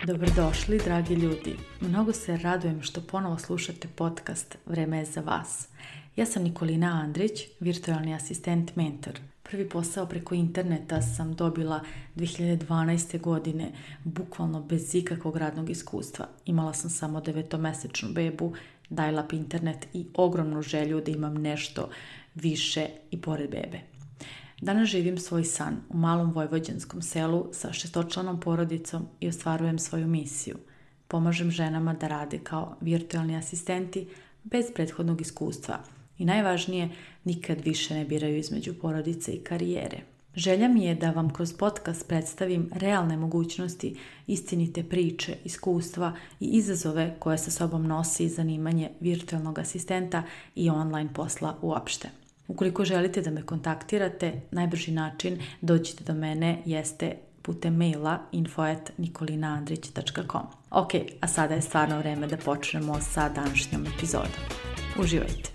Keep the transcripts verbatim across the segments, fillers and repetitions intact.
Dobrodošli, dragi ljudi. Mnogo se radujem što ponovo slušate podcast Vreme je za vas. Ja sam Nikolina Andrić, virtualni asistent mentor. Prvi posao preko interneta sam dobila dve hiljade dvanaeste. godine, bukvalno bez ikakvog radnog iskustva. Imala sam samo devetomesečnu bebu, dial-up internet i ogromnu želju da imam nešto više i pored bebe. Danas živim svoj san u malom vojvođanskom selu sa šestočlanom porodicom i ostvarujem svoju misiju. Pomažem ženama da rade kao virtualni asistenti bez prethodnog iskustva i najvažnije, nikad više ne biraju između porodice i karijere. Želja mi je da vam kroz podcast predstavim realne mogućnosti, istinite priče, iskustva i izazove koje sa sobom nosi zanimanje virtualnog asistenta i online posla uopšte. Ukoliko želite da me kontaktirate, najbrži način dođite do mene jeste putem maila info at nikolinaandrić tačka com. Ok, a sada je stvarno vreme da počnemo sa današnjom epizodom. Uživajte!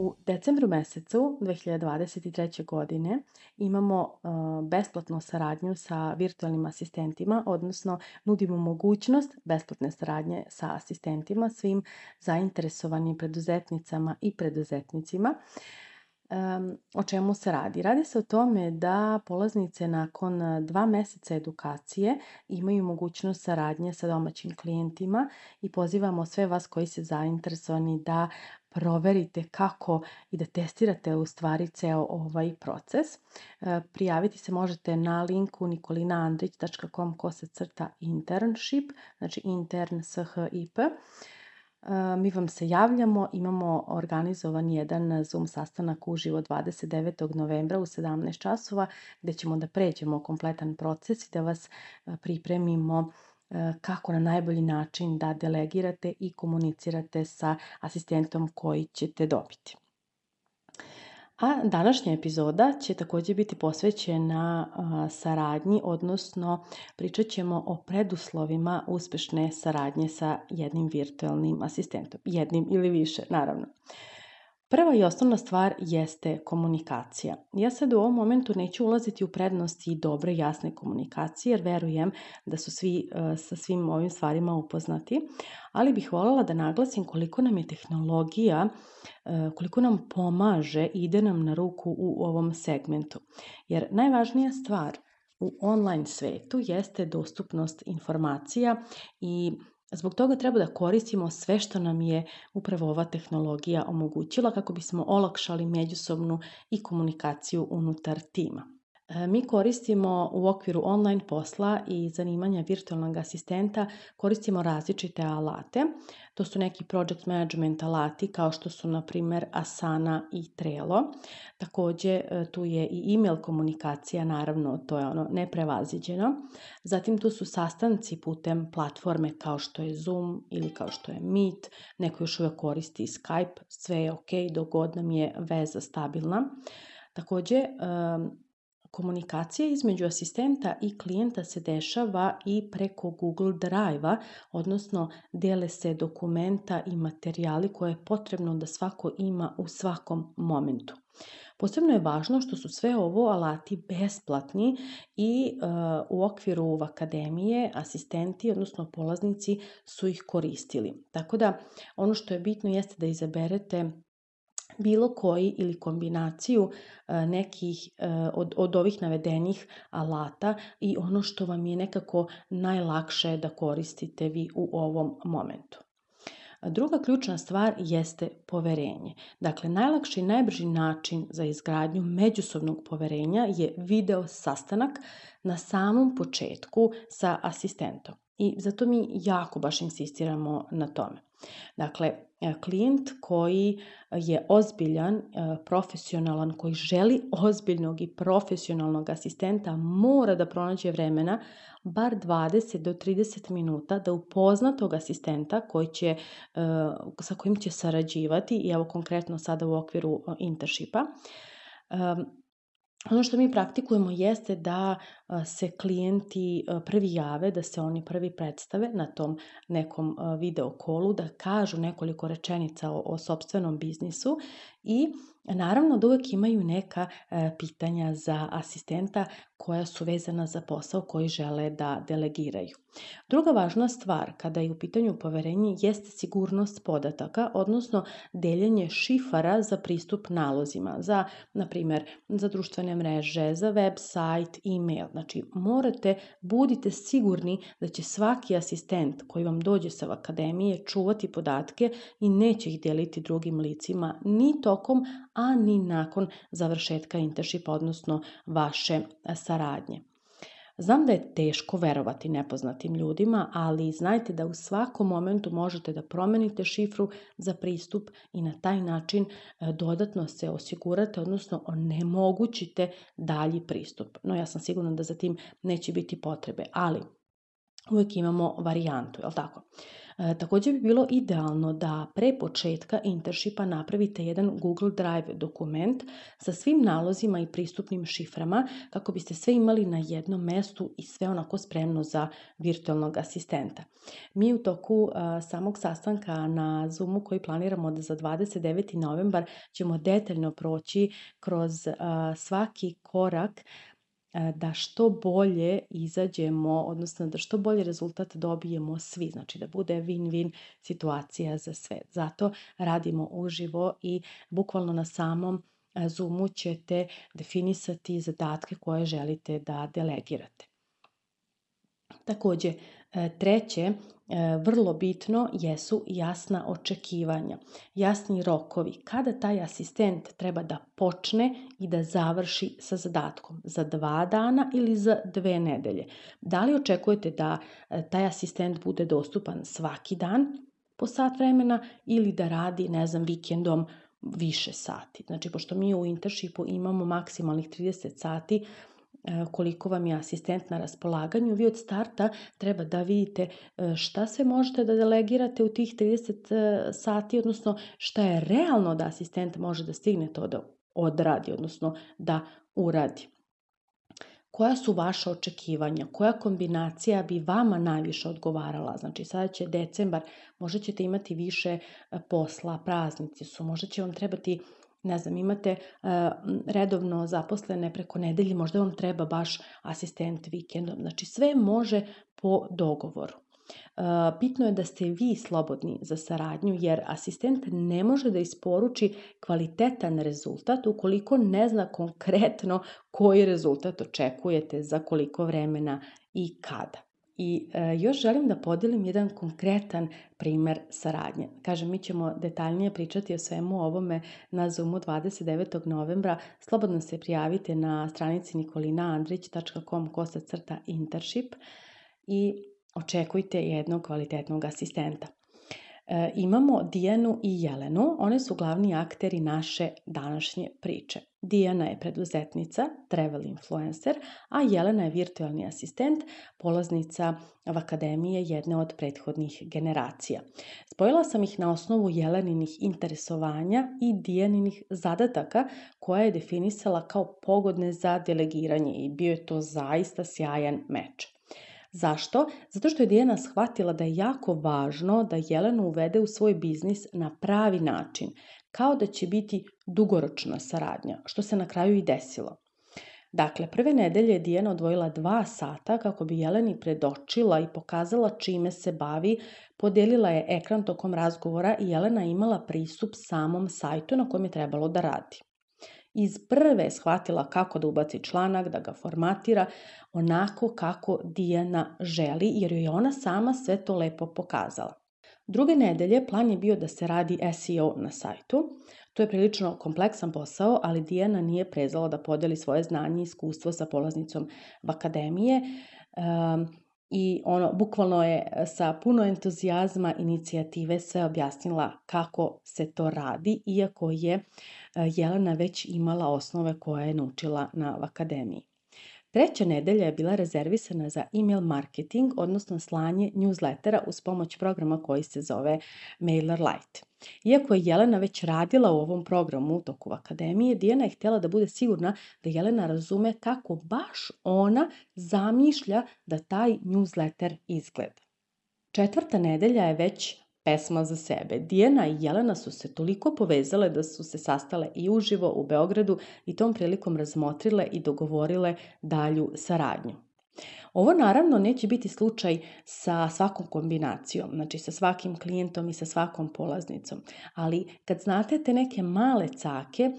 U decembru mesecu dve hiljade dvadeset treće. godine imamo uh, besplatnu saradnju sa virtualnim asistentima, odnosno nudimo mogućnost besplatne saradnje sa asistentima svim zainteresovanim preduzetnicama i preduzetnicima. Um, o čemu se radi? Radi se o tome da polaznice nakon dva meseca edukacije imaju mogućnost saradnje sa domaćim klijentima i pozivamo sve vas koji ste zainteresovani da proverite kako i da testirate u stvari ceo ovaj proces. E, prijaviti se možete na linku nikolinaandrić tačka com kosacrta internship, znači intern s h i p. Mi vam se javljamo, imamo organizovan jedan Zoom sastanak uživo dvadeset devetog novembra u sedamnaest časova gdje ćemo da pređemo kompletan proces i da vas pripremimo kako na najbolji način da delegirate i komunicirate sa asistentom koji ćete dobiti. A današnja epizoda će također biti posvećena a, saradnji, odnosno pričat ćemo o preduslovima uspešne saradnje sa jednim virtualnim asistentom. Jednim ili više, naravno. Prva i osnovna stvar jeste komunikacija. Ja sad u ovom momentu neću ulaziti u prednosti dobre, jasne komunikacije, jer verujem da su svi uh, sa svim ovim stvarima upoznati, ali bih voljela da naglasim koliko nam je tehnologija, uh, koliko nam pomaže i ide nam na ruku u ovom segmentu. Jer najvažnija stvar u online svetu jeste dostupnost informacija i zbog toga treba da koristimo sve što nam je upravo ova tehnologija omogućila kako bismo olakšali međusobnu i komunikaciju unutar tima. Mi koristimo u okviru online posla i zanimanja virtualnog asistenta, koristimo različite alate. To su neki project management alati kao što su na primjer Asana i Trello. Također tu je i email komunikacija, naravno to je ono neprevaziđeno. Zatim tu su sastanci putem platforme kao što je Zoom ili kao što je Meet. Neko još uvijek koristi Skype, sve je ok dok god nam je veza stabilna. Također komunikacija između asistenta i klijenta se dešava i preko Google Drive-a, odnosno dele se dokumenta i materijali koje je potrebno da svako ima u svakom momentu. Posebno je važno što su sve ovo alati besplatni i uh, u okviru akademije asistenti, odnosno polaznici su ih koristili. Tako da ono što je bitno jeste da izaberete bilo koji ili kombinaciju nekih od, od ovih navedenih alata i ono što vam je nekako najlakše da koristite vi u ovom momentu. Druga ključna stvar jeste poverenje. Dakle, najlakši i najbrži način za izgradnju međusobnog poverenja je video sastanak na samom početku sa asistentom. I zato mi jako baš insistiramo na tome. Dakle, klijent koji je ozbiljan, profesionalan, koji želi ozbiljnog i profesionalnog asistenta mora da pronađe vremena bar dvadeset do trideset minuta da upozna tog asistenta koji će, sa kojim će sarađivati i evo konkretno sada u okviru internshipa. Ono što mi praktikujemo jeste da se klijenti prvi jave, da se oni prvi predstave na tom nekom video kolu, da kažu nekoliko rečenica o, o sopstvenom biznisu i naravno da uvek imaju neka pitanja za asistenta koja su vezana za posao koji žele da delegiraju. Druga važna stvar kada je u pitanju poverenje jeste sigurnost podataka, odnosno deljenje šifara za pristup nalozima, za, na primjer, za društvene mreže, za web sajt, e-mail. Znači, morate, budite sigurni da će svaki asistent koji vam dođe sa akademije čuvati podatke i neće ih deliti drugim licima ni tokom, a ni nakon završetka internshipa, odnosno vaše saradnje. Znam da je teško verovati nepoznatim ljudima, ali znajte da u svakom momentu možete da promenite šifru za pristup i na taj način dodatno se osigurate, odnosno onemogućite dalji pristup. No, ja sam sigurna da za tim neće biti potrebe, ali uvijek imamo varijantu, je li tako? E, također bi bilo idealno da pre početka internshipa napravite jedan Google Drive dokument sa svim nalozima i pristupnim šiframa kako biste sve imali na jednom mestu i sve onako spremno za virtualnog asistenta. Mi u toku a, samog sastanka na Zoomu koji planiramo da za dvadeset deveti novembar ćemo detaljno proći kroz a, svaki korak da što bolje izađemo, odnosno da što bolje rezultat dobijemo svi, znači da bude win-win situacija za sve. Zato radimo uživo i bukvalno na samom Zoomu ćete definisati zadatke koje želite da delegirate. Također, treće, vrlo bitno jesu jasna očekivanja, jasni rokovi. Kada taj asistent treba da počne i da završi sa zadatkom? Za dva dana ili za dve nedelje? Da li očekujete da taj asistent bude dostupan svaki dan po sat vremena ili da radi, ne znam, vikendom više sati? Znači, pošto mi u internshipu imamo maksimalnih trideset sati, koliko vam je asistent na raspolaganju, vi od starta treba da vidite šta sve možete da delegirate u tih trideset sati, odnosno šta je realno da asistent može da stigne to da odradi, odnosno da uradi. Koja su vaša očekivanja? Koja kombinacija bi vama najviše odgovarala? Znači, sada će decembar, možda ćete imati više posla, praznici su, možda će vam trebati, ne znam, imate uh, redovno zaposlene preko nedelje, možda vam treba baš asistent vikendom. Znači, sve može po dogovoru. Uh, bitno je da ste vi slobodni za saradnju, jer asistent ne može da isporuči kvalitetan rezultat ukoliko ne zna konkretno koji rezultat očekujete, za koliko vremena i kada. I e, još želim da podelim jedan konkretan primer saradnje. Kažem, mi ćemo detaljnije pričati o svemu ovome na Zoomu dvadeset devetog novembra. Slobodno se prijavite na stranici nikolina andrić tačka com kosa crta internship i očekujte jednog kvalitetnog asistenta. E, imamo Dijanu i Jelenu, one su glavni akteri naše današnje priče. Dijana je preduzetnica, travel influencer, a Jelena je virtualni asistent, polaznica v akademije jedne od prethodnih generacija. Spojila sam ih na osnovu Jeleninih interesovanja i Dijaninih zadataka koje je definisala kao pogodne za delegiranje i bio je to zaista sjajan meč. Zašto? Zato što je Dijana shvatila da je jako važno da Jelenu uvede u svoj biznis na pravi način, kao da će biti dugoročna saradnja, što se na kraju i desilo. Dakle, prve nedelje je Dijana odvojila dva sata kako bi Jeleni predočila i pokazala čime se bavi, podelila je ekran tokom razgovora i Jelena imala pristup samom sajtu na kojem je trebalo da radi. Iz prve je shvatila kako da ubaci članak, da ga formatira onako kako Dijana želi, jer joj je ona sama sve to lepo pokazala. Druge nedelje plan je bio da se radi S E O na sajtu. To je prilično kompleksan posao, ali Dijana nije prezala da podeli svoje znanje i iskustvo sa polaznicom v akademije. Um, I ono, bukvalno je sa puno entuzijazma inicijative sve objasnila kako se to radi, iako je Jelena već imala osnove koje je naučila na akademiji. Treća nedelja je bila rezervisana za email marketing, odnosno slanje newslettera uz pomoć programa koji se zove MailerLite. Iako je Jelena već radila u ovom programu u toku akademije, Dijana je htjela da bude sigurna da Jelena razume kako baš ona zamišlja da taj newsletter izgleda. Četvrta nedelja je već pesma za sebe. Dijana i Jelena su se toliko povezale da su se sastale i uživo u Beogradu i tom prilikom razmotrile i dogovorile dalju saradnju. Ovo naravno neće biti slučaj sa svakom kombinacijom, znači sa svakim klijentom i sa svakom polaznicom, ali kad znate te neke male cake,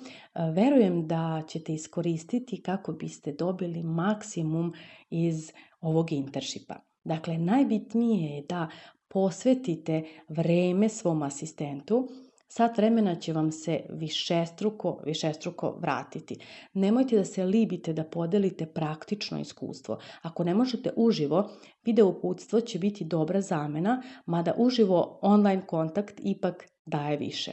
verujem da ćete iskoristiti kako biste dobili maksimum iz ovog internshipa. Dakle, najbitnije je da posvetite vreme svom asistentu. Sat vremena će vam se višestruko, višestruko vratiti. Nemojte da se libite da podelite praktično iskustvo. Ako ne možete uživo, video uputstvo će biti dobra zamena, mada uživo online kontakt ipak daje više.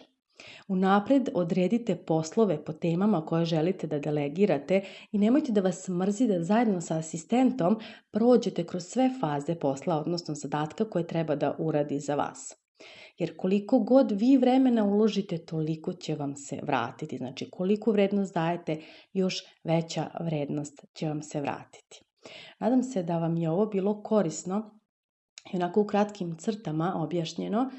Unapred odredite poslove po temama koje želite da delegirate i nemojte da vas mrzi da zajedno sa asistentom prođete kroz sve faze posla, odnosno zadatka koje treba da uradi za vas. Jer koliko god vi vremena uložite, toliko će vam se vratiti. Znači, koliko vrednost dajete, još veća vrednost će vam se vratiti. Nadam se da vam je ovo bilo korisno i onako u kratkim crtama objašnjeno,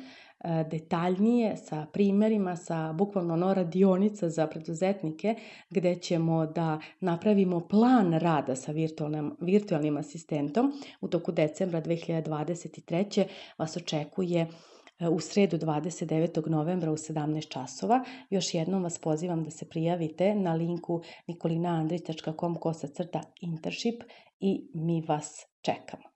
detaljnije sa primjerima, sa bukvalno ono radionica za preduzetnike gdje ćemo da napravimo plan rada sa virtualnim, virtualnim asistentom. U toku decembra dve hiljade dvadeset treće vas očekuje u sredu dvadeset devetog novembra u sedamnaest časova. Još jednom vas pozivam da se prijavite na linku nikolina andrić tačka com kosa crta internship i mi vas čekamo.